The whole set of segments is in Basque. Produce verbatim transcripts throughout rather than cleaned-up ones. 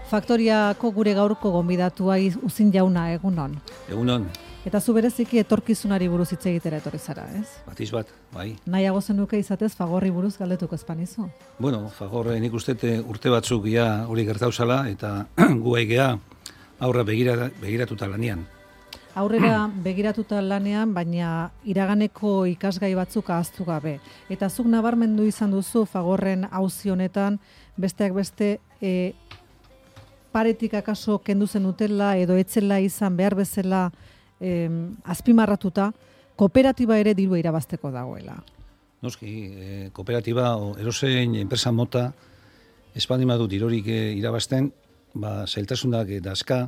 Faktoriako gure gaurko gonbidatua Uzin Jauna, egunon. Egunon. Eta zu bereziki etorkizunari buruz hitz egitera etorri zara, ez? Batiz bat, bai. Nahiago zenuke izatez Fagorri buruz galdetuko espanizu? Bueno, Fagor nik uste urte batzuk ja hori gertauzala eta gu aigea aurra begira, begiratuta lanean. Aurrera begiratuta lanean, baina iraganeko ikasgai batzuk ahaztu gabe. Eta zuk nabarmendu izan duzu Fagorren auzi honetan, besteak beste e, paretik akaso kendu zenutela edo etzela izan behar bezala eh, azpimarratuta, kooperatiba ere dirua irabazteko dagoela. Noski, eh, kooperatiba o erosein enpresa mota espaldimadu dirorik eh, irabazten, ba, zailtasunak eh, dazka,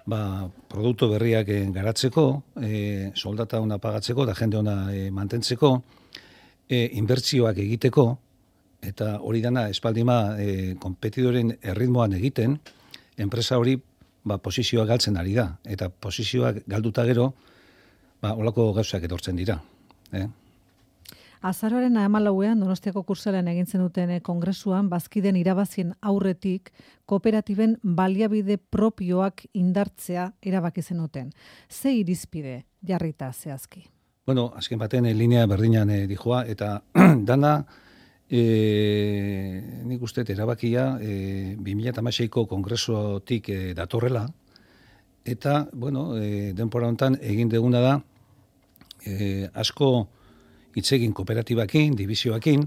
ba, produktu berriak eh, garatzeko, eh, soldata ona pagatzeko, da jende ona eh, mantentzeko, eh, inbertsioak egiteko, eta hori dana espaldima eh, kompetidoren erritmoan egiten, enpresa hori ba, posizioa galtzen ari da. Eta posizioak galduta gero, ba, olako gauzak etortzen dira. Eh? Azaroaren hamalauean Donostiako kursalan egintzen duten kongresuan, bazkiden irabazien aurretik, kooperatiben baliabide propioak indartzea erabaki zenuten. Ze irizpide jarrita zehazki? Bueno, azken baten eh, linea berdinan eh, dijoa, eta dana, E, nik uste erabakia e, bi mila hamaseiko kongresotik e, datorrela, eta, bueno, e, denpora honetan egin deguna da e, asko hitzegin kooperatibakin, divizioakin,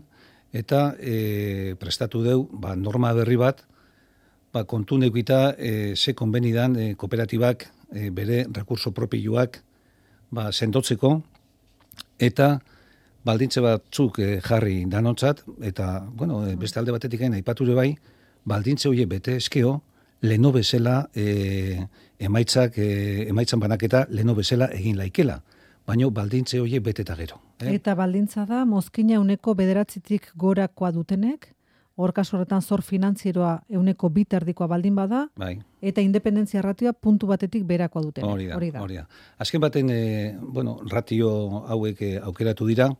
eta e, prestatu deu ba, norma berri bat, ba, kontu neukita e, ze konbenidan e, kooperatibak e, bere rekurso propioak ba, sendotzeko, eta baldintze batzuk eh, jarri danontzat, eta, bueno, eh, beste alde batetik gain aipature bai, baldintze horiek bete eskeo, leno bezala eh, emaitzak, eh, emaitzan banaketa leno bezala egin laikela, baino baldintze horiek beteta gero. Eh? Eta baldintza da, mozkina euneko bederatzitik gorakoa dutenek, hor kasu horretan zor finantzieroa euneko biterdikoa baldin bada, bai. Eta independentzia ratioa puntu batetik berakoa dutenek. Hori da, hori da. Hori da. Azken baten, eh, bueno, ratio hauek eh, aukeratu dira,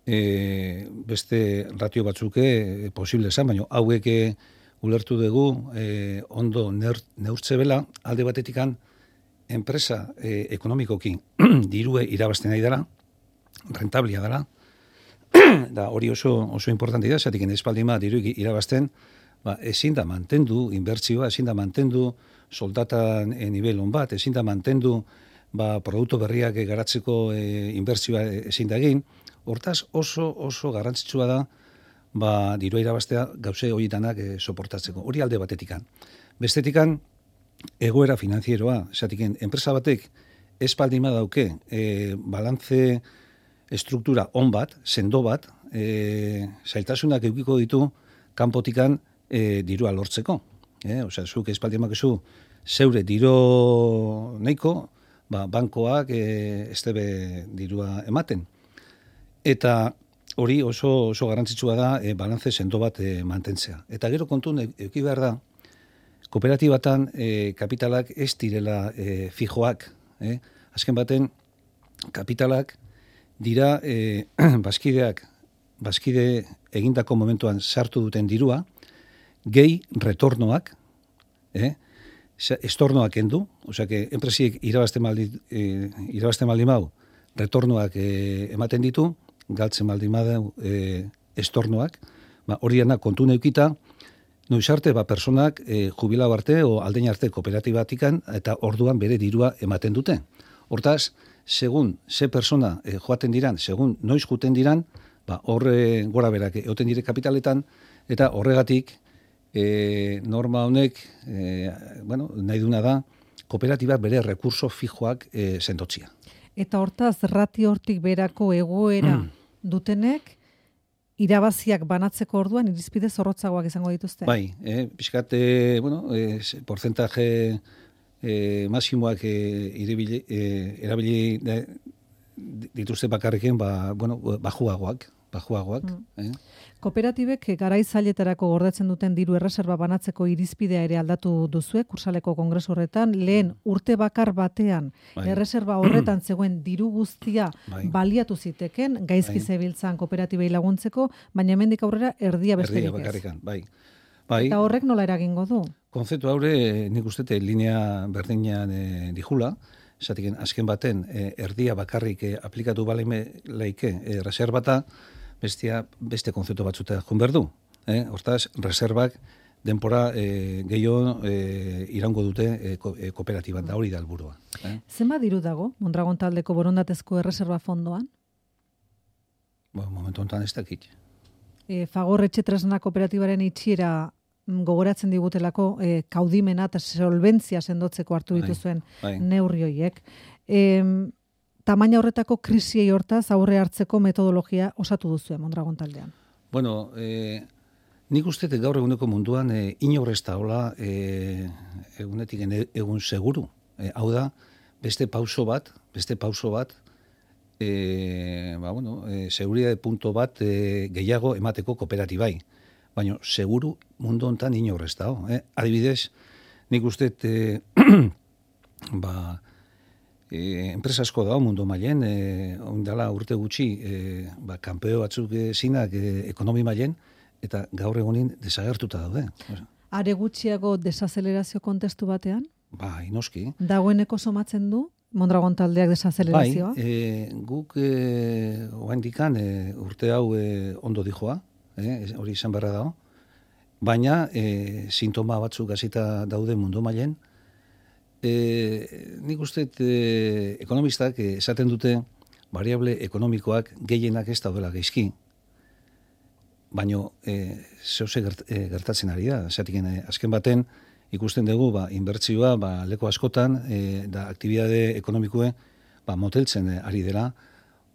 E, beste ratio batzuke e, posible esan, baina hauek e, ulertu dugu e, ondo ner, neurtze bela, alde batetikan enpresa e, ekonomikoki dirue irabazten nahi dara, rentablia dara, da hori oso, oso importante da, zatik espaldima diru irabazten, ba, ezin da mantendu inbertsioa, ezin da mantendu soldatan e, nivel on bat, ezin da mantendu ba, produktu berriak e, garatzeko e, inbertsioa ezin da egin. Hortaz oso oso garrantzitsua da ba dirua irabaztea gauze horietanak e, soportatzeko. Hori alde batetikan. Bestetikan egoera finanzieroa, esatiken enpresa batek espaldima dauke e, balantze estruktura on bat, sendo bat, e, zailtasunak edukiko ditu kanpotikan e, dirua lortzeko. Eh, osea, zuk espaldimak ezu zeure diro nahiko, ba bankoak e, estebe dirua ematen. Eta hori oso oso garrantzitsua da e, balantze sendo bat e, mantentzea. Eta gero kontun eduki behar da, kooperatibatan e, kapitalak ez direla e, fijoak. Eh? Azken baten, kapitalak dira e, bazkideak, bazkide egindako momentuan sartu duten dirua, gehi retornoak, eh? estornoak endu, osea, que enpresiek irabazten maldi, e, irabazten maldi mau, retornoak e, ematen ditu, galtzen baldin badau e, estornoak, ba, hori dena kontu neukita, noiz arte, ba, personak e, jubilatu arte o aldein arte kooperatibatikan eta orduan bere dirua ematen dute. Hortaz, segun ze persona e, joaten diran, segun noiz juten diran, ba, horre gora berak egoten dire kapitaletan, eta horregatik e, norma honek, e, bueno, nahi duna da, kooperatibak bere rekurso fijoak e, sendotzia. Eta hortaz, rati hortik berako egoera dutenek, irabaziak banatzeko orduan, irizpide zorrotzagoak izango dituzte? Bai, eh, pixkat, eh, bueno, eh, porcentaje eh, masimoak eh, iribili, eh, erabili eh, dituzte bakarriken, ba, bueno, bajuagoak, bajuagoak. Mm. Eh? Kooperatibek garaizailetarako gordetzen duten diru erreserba banatzeko irizpidea ere aldatu duzue, kursaleko kongresu horretan, lehen urte bakar batean, bai. Erreserba horretan zegoen diru guztia bai. Baliatu ziteken, gaizki bai. Zebiltzan kooperatibei laguntzeko, baina hemendik aurrera erdia besterik ez. Erdia bakarrikan, bai. Bai. Eta horrek nola eragingo du? konzeptu haure nik uste linea berdinean e, dijula, esatik azken baten e, erdia bakarrik e, aplikatu balaime laike e, reservata, bestia beste konzeptu batzuta joan behar du. E, hortaz, reservak denpora e, gehiago e, irango dute e, ko, e, kooperatiban, da hori da helburua. Eh? Zenbat diru dago Mondragon taldeko borondatezko erreserba fondoan? Ba, momentu honetan ez dakit. E, Fagor etxe tresna kooperatibaren itxiera gogoratzen digutelako e, kaudimena eta solventzia sendotzeko hartu dituzuen bai, bai. neurri horiek. E, tamaina horretako krisiei hortaz aurre hartzeko metodologia osatu duzuen Mondragon taldean. Bueno, e, nik uste gaur eguneko munduan e, inor ez da hola e, egunetik egun seguru. E, hau da, beste pauso bat, beste pauso bat, e, ba, bueno, e, seguridade punto bat e, gehiago emateko kooperatibai. Baina seguru mundu hontan inor ez da. Eh? Adibidez, nik uste e, ba, e, enpresa asko da mundu mailen, e, ondala urte gutxi, e, ba, kanpeo batzuk e, zinak e, ekonomi mailen, eta gaur egunin desagertuta daude. Are gutxiago desazelerazio kontestu batean? Bai, noski. Dagoeneko somatzen du Mondragon taldeak desazelerazioa? Bai, e, guk e, oaindikan e, urte hau e, ondo dijoa, e, hori izan beharra dago, baina e, sintoma batzuk hasita daude mundu mailen. E, nik uste e, ekonomistak e, esaten dute variable ekonomikoak gehienak ez daudela gaizki, baina e, zehose gert, e, gertatzen ari da. Zatik, e, azken baten ikusten dugu ba, inbertsioa ba, leko askotan e, da aktibidade ekonomikoe ba, moteltzen e, ari dela.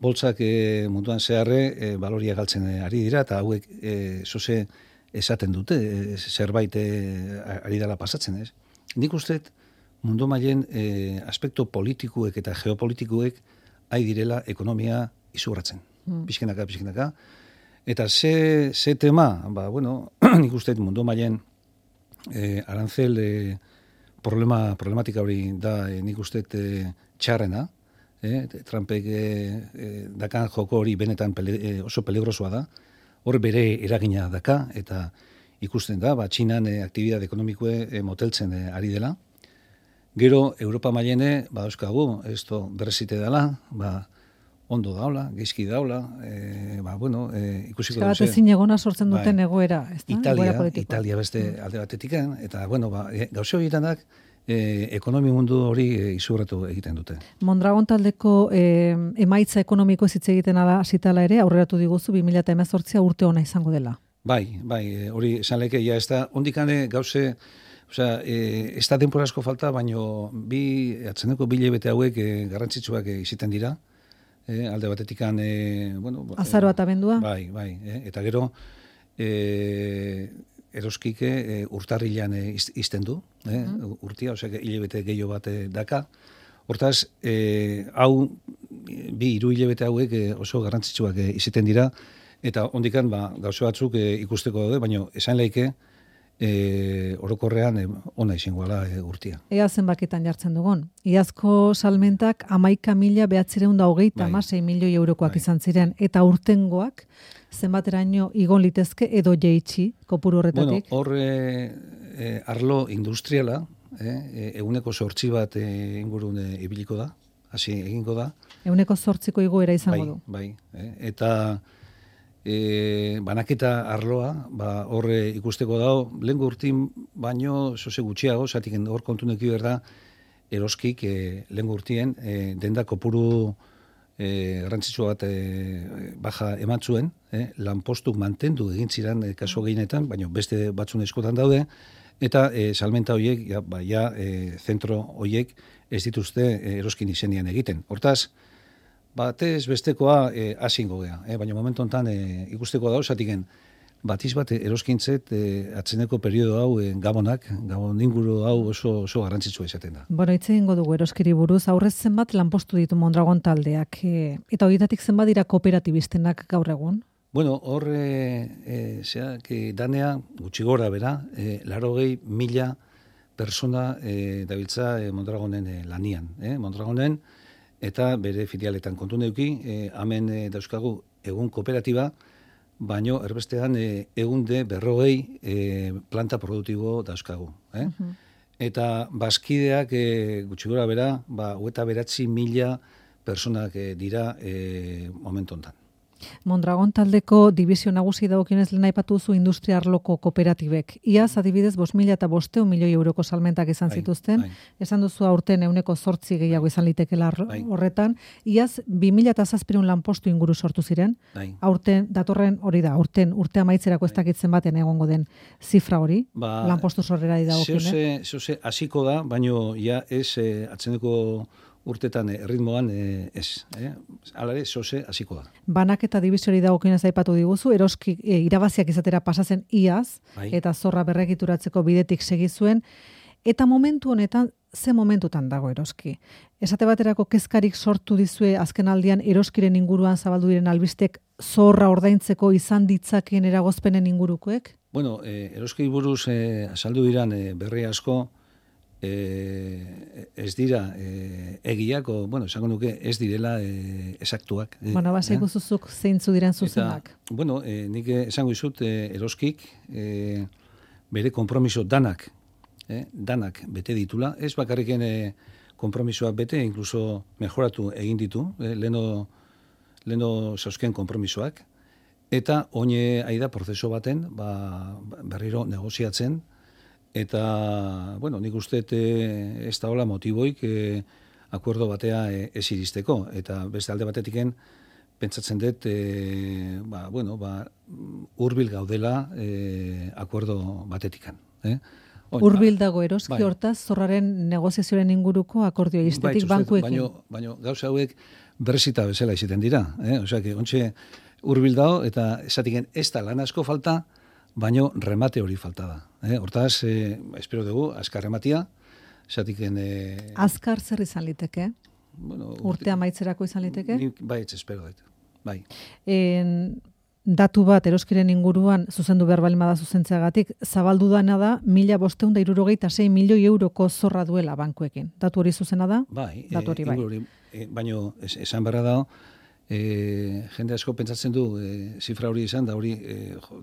Boltzak e, munduan zeharre e, baloria galtzen e, ari dira eta hauek e, zehose esaten dute e, zerbait e, ari dela pasatzen. Ez? Nik uste mundu mailen e, aspektu politikuek eta geopolitikuek ari direla ekonomia izugarratzen. Mm. Pixkenaka, pixkenaka. Eta ze, ze tema, ba, bueno, nik uste mundu mailen e, arantzel e, problema, problematika hori da e, nik uste e, txarrena, e, Trumpek e, e, dakan joko hori benetan pele, e, oso peligrosoa da, hor bere eragina daka, eta ikusten da, ba, Txinan e, aktibidade ekonomikoe e, moteltzen e, ari dela. Gero, Europa mailene, ba, euskagu, ez to berrezite dela, ba, ondo daula, geizki daula, e, ba, bueno, e, ikusiko dut. Eta ezin egona sortzen duten bai, egoera, ez da? Italia, Italia beste mm. alde batetikan, eta, bueno, ba, e, gauze horietan e, ekonomi mundu hori e, izurratu egiten dute. Mondragon taldeko e, emaitza ekonomiko hitz egiten ala hasitala ere, aurreratu diguzu bi mila hemezortzi urte ona izango dela. Bai, bai, hori esan leke, ja, ez da, ondikane gauze, osea, e, ez da denpora asko falta, baino bi, atzeneko bi hilabete hauek e, garrantzitsuak e, iziten dira, E, alde batetikan, e, bueno... Azaroa eta bendua? Bai, bai. E, eta gero, e, eroskike e, urtarrilan e, izten du, e, mm. urtia, osea, hilabete gehiago bat e, daka. Hortaz, e, hau, bi hiru hilabete hauek e, oso garrantzitsuak e, iziten dira, eta ondikan, ba, gauze batzuk e, ikusteko daude, baina esan laike, E, orokorrean e, ona izangoala e, urtia. Ea zenbakitan jartzen dugun. Iazko salmentak hamaika mila behatzireun da hogeita hamasei milioi eurokoak bai. Izan ziren, eta urtengoak zenbateraino igon litezke edo jeitsi kopuru horretatik? Bueno, hor e, e, arlo industriala, e, eguneko zortzi bat e, ingurun e, ibiliko da, hasi egingo da. Eguneko zortziko igoera izango bai, du. Bai, e, eta E, banaketa arloa, ba, horre ikusteko dago, lehen urtin baino zoze gutxiago, zatik hor kontu neki berda, eroskik e, lehen urtien, e, denda kopuru e, garrantzitsua bat e, baja eman zuen, e, lanpostuk mantendu egin ziren e, kasu gehienetan, baino beste batzun eskotan daude, eta e, salmenta horiek, ja, ba, ja, e, zentro horiek ez dituzte e, eroskin izenian egiten. Hortaz, batez bestekoa e, asingo gea, e, baina momentu honetan e, ikusteko dago, zatiken batiz bat eroskintzet e, atzeneko periodo hau e, gabonak, gabon inguru hau oso, oso garrantzitsua izaten da. Bueno, hitz egingo dugu eroskiri buruz, aurrez zenbat lanpostu ditu Mondragon taldeak, e, eta horietatik zenbat dira kooperatibistenak gaur egun? Bueno, hor, e, e, zeak, e, danea, gutxi gora bera, e, larogei mila persona e, dabiltza e, Mondragonen e, lanian. E, Mondragonen, eta bere filialetan kontu neuki, e, hemen e, dauzkagu egun kooperatiba, baino erbestean e, egunde berrogei e, planta produktibo dauzkagu. Eh? Uh-huh. Eta bazkideak e, gutxi gora bera, ba, hogeita beratzi mila personak e, dira e, momentu honetan. Mondragon taldeko dibizio nagusi dagokionez lehen aipatu zu industria arloko kooperatibek. Iaz adibidez bost mila eta bosteun milioi euroko salmentak izan bai, zituzten. Bai. Esan duzu aurten euneko zortzi gehiago izan litekela bai. horretan. Iaz bi mila eta zazpireun lanpostu inguru sortu ziren. Bai. Aurten, datorren hori da, aurten urte amaitzerako ez dakitzen baten egongo den zifra hori. Ba, lanpostu sorrera dagokionez. Zehose, zehose hasiko da, baino ja ez eh, atzeneko urtetan erritmoan eh, ez. Eh? Alare, zoze, hasiko da. Banak eta dibiziori dagokionez aipatu diguzu, eroski e, irabaziak izatera pasatzen iaz, bai. Eta zorra berregituratzeko bidetik segizuen, eta momentu honetan, ze momentutan dago eroski? Esate baterako kezkarik sortu dizue azken aldian eroskiren inguruan zabaldu diren albistek zorra ordaintzeko izan ditzakien eragozpenen ingurukoek? Bueno, eh, eroski buruz eh, azaldu diran eh, berri asko, E, ez dira e, egiak, o, bueno, esango nuke ez direla e, esaktuak. E, bueno, basa ikuzuzuk eh? zeintzu diren zuzenak. Eta, bueno, e, nik esango izut e, eroskik e, bere konpromiso danak, e, danak bete ditula, ez bakarriken e, konpromisoak bete, inkluso mejoratu egin ditu, e, leno, leno zauzken konpromisoak, eta oine aida prozeso baten, ba, berriro negoziatzen, eta, bueno, nik uste ez da hola motiboik e, akuerdo batea e, ez iristeko. Eta beste alde batetiken, pentsatzen dut, e, ba, bueno, ba, hurbil gaudela e, akuerdo batetikan. Eh? Hurbil dago eroski bai. Hortaz, zorraren negoziazioaren inguruko akordio istetik bai, bankuekin. Baina, baina gauza hauek berezita bezala iziten dira. Eh? Osea, que ontxe hurbil dago, eta esatiken ez da lan asko falta, baino remate hori falta da. Eh? Hortaz, eh, espero dugu, azkar rematia, esatiken... Eh, azkar zer izan liteke? Bueno, urte amaitzerako izan liteke? Bai, ez espero dut. Bai. En, datu bat eroskiren inguruan, zuzendu behar balima da zuzentzeagatik, zabaldu dana da, mila bosteun da irurogeita sei milioi euroko zorra duela bankuekin. Datu hori zuzena da? Bai. Datu hori bai. Hori, eh, baino, es, esan berra da, E, jende asko pentsatzen du e, zifra hori izan da hori e,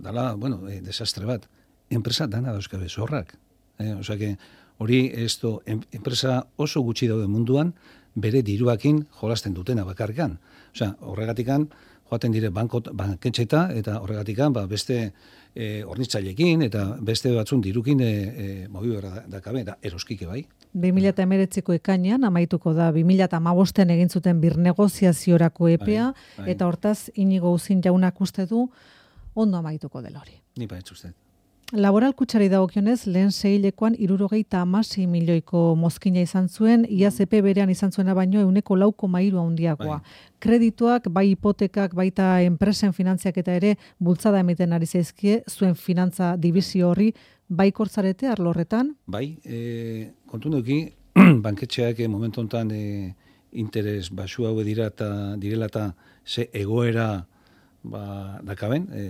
dala, bueno, e, desastre bat. Enpresa dana dauzkabe zorrak. E, Osea que hori ez do, enpresa oso gutxi daude munduan bere diruakin jolasten dutena bakarkan. Osea, horregatikan joaten dire banko, banketxeta eta horregatikan ba, beste e, ornitzailekin eta beste batzun dirukin e, e, mobi berra dakabe, da eroskike bai. bi mila hemeretziko ekainean amaituko da bi mila hamabostean egin zuten birnegoziaziorako epea, bai, bai. Eta hortaz Inigo Uzin jaunak uste du ondo amaituko dela hori. Ni bai uste. Laboral kutxari dagokionez, lehen seihilekoan hirurogeita hamasei milioiko mozkina izan zuen, iaz epe berean izan zuena baino ehuneko lau koma hiru handiagoa. Bai. Kredituak, bai hipotekak, baita enpresen finantziak eta ere bultzada emiten ari zaizkie, zuen finantza dibizio horri, bai kortzarete arlo horretan? Bai, e, kontu neuki, banketxeak momentu honetan e, interes basu hau dira eta direla eta ze egoera ba, dakaben, e,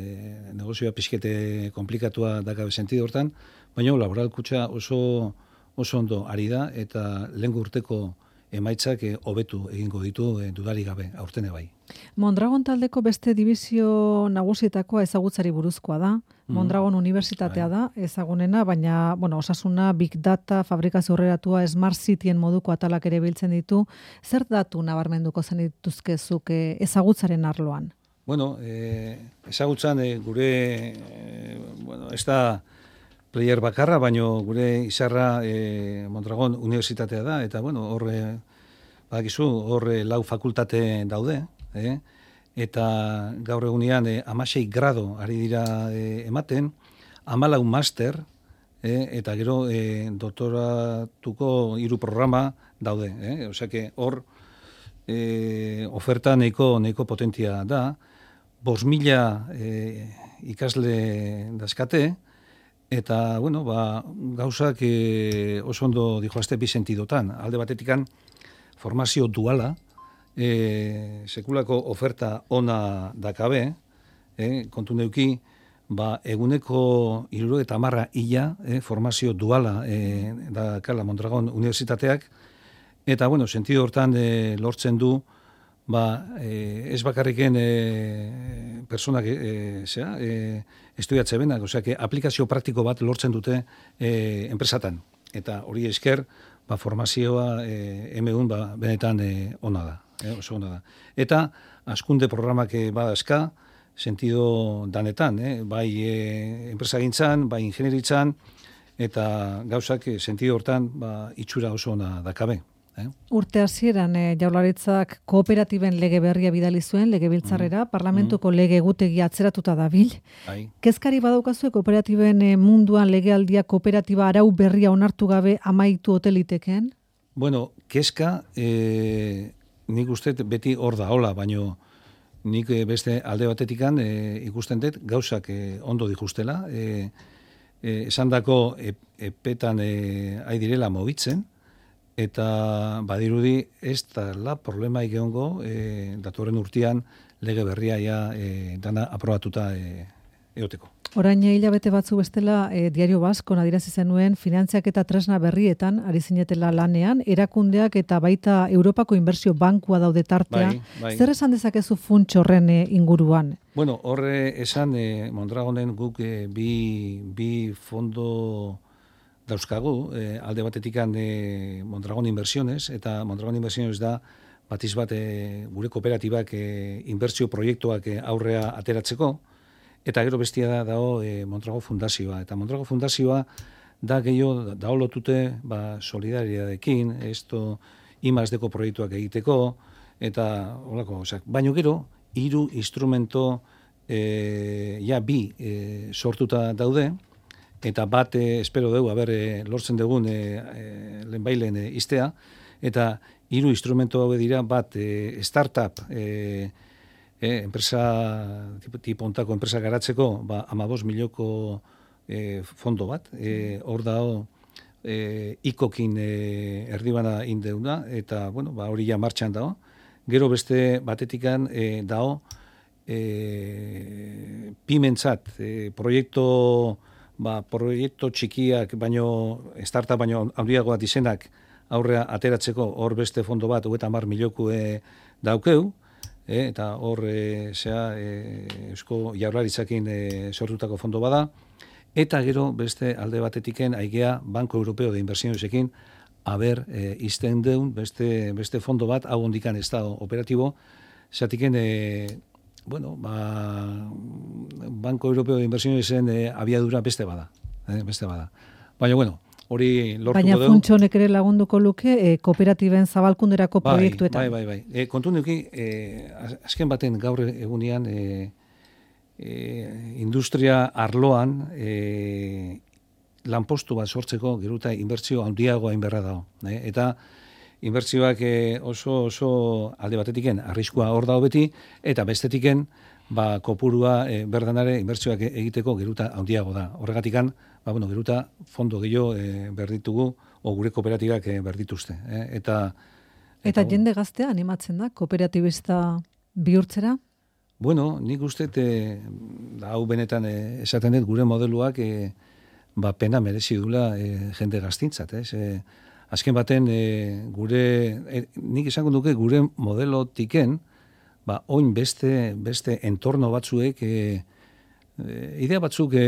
negozioa pixkete komplikatua dakabe sentido hortan, baina laboral kutxa oso, oso ondo ari da eta lehen urteko emaitzak hobetu e, egingo ditu e, dudari gabe, aurtene bai. Mondragon taldeko beste dibizio nagusietakoa ezagutzari buruzkoa da. Mondragon Unibertsitatea da, ezagunena, baina bueno, osasuna, big data, fabrikazio aurreratua, smart cityen moduko atalak ere biltzen ditu. Zer datu nabarmenduko zen dituzkezuk ezagutzaren arloan? Bueno, eh, ezagutzan eh, gure, eh, bueno, ez da player bakarra, baino gure izarra eh, Mondragon Unibertsitatea da, eta bueno, horre, badakizu, horre lau fakultate daude, eh? Eta gaur egunean eh, amasei grado ari dira eh, ematen, amalau master, eh? Eta gero eh, doktoratuko hiru programa daude. Eh? Osea que hor eh, oferta nahiko, nahiko potentia da, bost mila eh, ikasle dazkate, eta bueno, ba, gauzak eh, oso ondo dijoazte bi sentidotan. Alde batetikan formazio duala, E, sekulako oferta ona dakabe, e, kontu neuki, ba, eguneko hirurogeita hamar ila e, formazio duala e, dakala Mondragon Unibertsitateak, eta, bueno, sentido hortan e, lortzen du, ba, e, ez bakarriken e, personak e, zera, e, estudiatze benak, osea, que aplikazio praktiko bat lortzen dute e, enpresatan. Eta hori esker, ba, formazioa e, emegun ba, benetan e, ona da, e, oso ona da. Eta askunde programak e, badazka, sentido danetan, eh? bai e, enpresagintzan, bai ingenieritzan, eta gauzak e, sentido hortan ba, itxura oso ona dakabe. Eh? Urte hasieran eh, Jaurlaritzak kooperatiben lege berria bidali zuen legebiltzarrera, mm. parlamentuko mm. lege egutegia atzeratuta dabil. Bai. Kezkari badaukazue kooperatiben eh, munduan legealdia kooperatiba arau berria onartu gabe amaitu hoteliteken? Bueno, kezka eh, nik uste beti hor da, hola, baino nik eh, beste alde batetikan eh, ikusten dut gauzak eh, ondo dikustela. Eh, eh, esan dako ep, epetan eh, aidirela mobitzen, eta badirudi ez da la problema ikeongo e, datorren urtean lege berria ja e, dana aprobatuta e, eoteko. Orain hilabete batzu bestela e, Diario Baskon adierazi zenuen finantziak eta tresna berrietan ari zinetela lanean, erakundeak eta baita Europako Inbertsio Bankua daude tartean. Bai, bai. Zer esan dezakezu funts horren e, inguruan? Bueno, horre esan e, Mondragonen guk e, bi, bi fondo dauzkagu, eh, alde batetikan eh, Mondragon Inversiones, eta Mondragon Inversiones da batiz bat eh, gure kooperatibak eh, inbertsio proiektuak eh, aurrea ateratzeko, eta gero bestia da dao eh, Mondragon Fundazioa. Eta Mondragon Fundazioa da gehiago dao lotute ba, solidariadekin, esto imazdeko proiektuak egiteko, eta holako, osak, baino gero, hiru instrumento eh, ja bi eh, sortuta daude, eta bat, eh, espero dugu, haber, eh, lortzen dugun eh, eh, lehenbailen eh, iztea, eta hiru instrumento hau dira, bat, eh, startup, eh, eh, enpresa, tipo ontako enpresa garatzeko, ba, amabos milioko eh, fondo bat, eh, hor dao, eh, ikokin eh, erdibana indeuna, eta, bueno, ba, hori ja martxan dao. Gero beste batetikan eh, dao, eh, pimentzat, eh, proiektu, ba, proiektu txikiak, baino, startup baino handiagoak izenak aurrea ateratzeko hor beste fondo bat, hogeita hamar milioku e, daukeu, e, eta hor e, zea, e, Eusko Jaurlaritzakin e, sortutako fondo bada, eta gero beste alde batetiken aigea Banco Europeo de Inversionesekin haber e, izten deun beste, beste fondo bat, hau ondikan ez da operatibo, zatiken e, bueno, ba, Banco Europeo de Inversionesen eh, abiadura beste bada, eh, beste bada. Baina, bueno, hori lortuko dugu. Baina funtsonek ere lagunduko luke eh, kooperatiben zabalkunderako bai, proiektuetan. Bai, bai, bai. E, kontu nuki, eh, azken baten gaur egunean eh, eh, industria arloan eh, lanpostu bat sortzeko geruta inbertsio handiagoa inberra dago. Eh? Eta inbertsioak oso oso alde batetiken arriskua hor dago beti, eta bestetiken ba, kopurua e, berdanare inbertsioak egiteko geruta handiago da. Horregatikan, ba, bueno, geruta fondo gehiago e, berditugu, o gure kooperatibak e, berdituzte. E, eta, eta, eta jende gaztea animatzen da, kooperatibista bihurtzera? Bueno, nik uste, e, hau benetan e, esaten dut gure modeluak e, ba, pena merezi dula e, jende gaztintzat, ez? E, Azken baten, e, gure, e, nik esango duke gure modelotiken, ba, oin beste, beste entorno batzuek, e, e, idea batzuk e,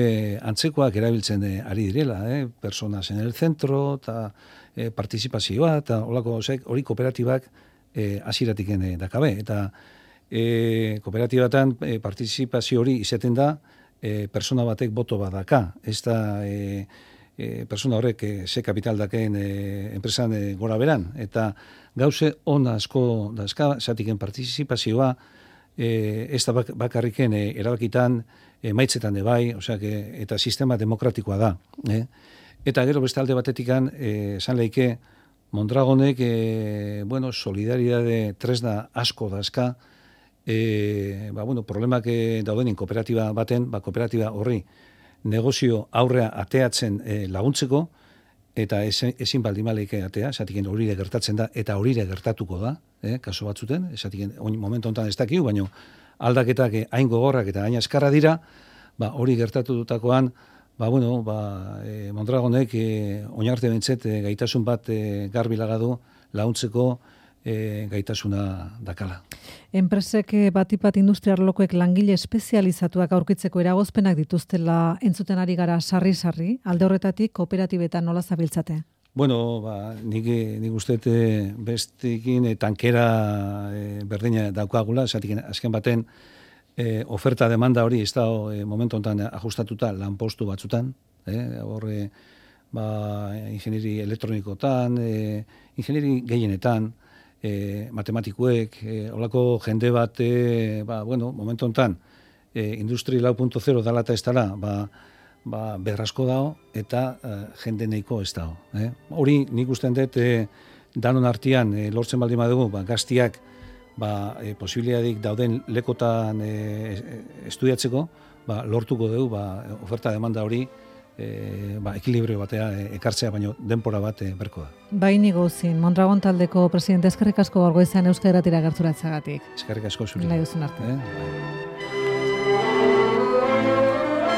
antzekoak erabiltzen e, ari direla, e, personas en el centro, eta e, participazioa, eta holako, hori kooperatibak e, asiratiken e, dakabe. Eta e, kooperatibatan e, participazio hori izaten da, e, persona batek boto badaka, ez da... E, E, persona horrek e, ze kapital daken e, enpresan e, gora beran, eta gauze ona asko dazka, zatiken partizipazioa e, ez da bak, bakarriken e, erabakitan e, maitzetan de bai, osea, que, eta sistema demokratikoa da. Eh? Eta gero beste alde batetikan, e, esan leike, Mondragonek, e, bueno, solidaridade tresna asko dazka, e, ba, bueno, problemak e, daudenin kooperatiba baten, ba, kooperatiba horri, negozio aurrea ateatzen e, laguntzeko, eta ezin, ezin baldimaleik atea, esatiken horire gertatzen da, eta horire gertatuko da, eh, kaso batzuten, esatiken momentu honetan ez dakiu, baina aldaketak hain gogorrak eta hain askarra dira, ba, hori gertatu dutakoan, ba, bueno, ba, e, Mondragonek e, oinarte bentzet e, gaitasun bat e, garbilagadu laguntzeko e, gaitasuna dakala. Enpresek batipat industriarlokoek langile espezializatuak aurkitzeko eragozpenak dituztela entzuten ari gara sarri-sarri, alde horretatik kooperatibetan nola zabiltzate? Bueno, ba, nik, nik uste bestekin e, tankera e, berdina daukagula, esatik azken baten e, oferta demanda hori ez da e, momentu honetan ajustatuta lanpostu batzutan, e, horre ba, ingenieri elektronikotan, e, ingenieri gehienetan, E, matematikuek, e, olako jende bat, e, ba, bueno, momentu honetan, e, industri lau puntu zero dala eta ez dala, ba, ba, berrasko dago, eta e, jende nahiko ez dago. Eh? Hori nik usten dut, e, danon artean, e, lortzen baldin badugu, ba, gaztiak, ba, e, posibiliadik dauden lekotan e, estudiatzeko, ba, lortuko dugu, ba, oferta demanda hori, E, ba, ekilibrio batea e, ekartzea, baino denpora bat e, berko da. Baini gozin, Mondragon taldeko presidente eskerrik asko gaur goizean Euskal Irratira gerturatzagatik. Eskerrik asko zuri. Nahi duzun arte. Eh?